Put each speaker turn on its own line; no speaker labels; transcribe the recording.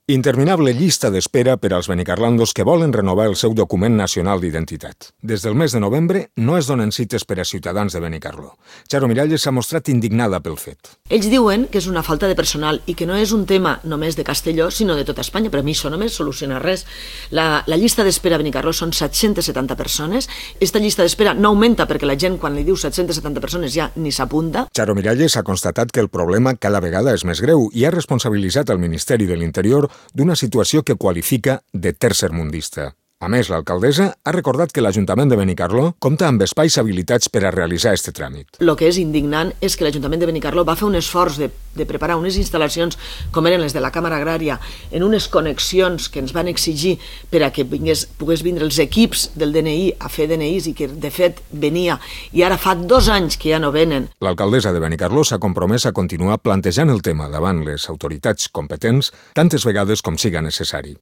Interminable llista d'espera per als benicarlandos que volen renovar el seu document nacional d'identitat. Des del mes de novembre no es donen cites per a ciutadans de Benicarló. Charo Miralles s'ha mostrat indignada pel fet.
Ells diuen que és una falta de personal i que no és un tema només de Castelló, sinó de tota Espanya. Per a mi això només soluciona res. La llista d'espera a Benicarló són 770 persones. Esta llista d'espera no augmenta perquè la gent, quan li diu 770 persones, ja ni s'apunta.
Charo Miralles ha constatat que el problema cada vegada és més greu i ha responsabilitzat el Ministeri de l'Interior d'una situació que qualifica de tercermundista. A més, l'alcaldessa ha recordat que l'Ajuntament de Benicarló compta amb espais habilitats per a realitzar aquest tràmit.
El que és indignant és que l'Ajuntament de Benicarló va fer un esforç de preparar unes instal·lacions com eren les de la Càmera Agrària en unes connexions que ens van exigir per a que pogués vindre els equips del DNI a fer DNIs i que de fet venia i ara fa 2 anys que ja no venen.
L'alcaldessa de Benicarló s'ha compromès a continuar plantejant el tema davant les autoritats competents tantes vegades com siga necessari.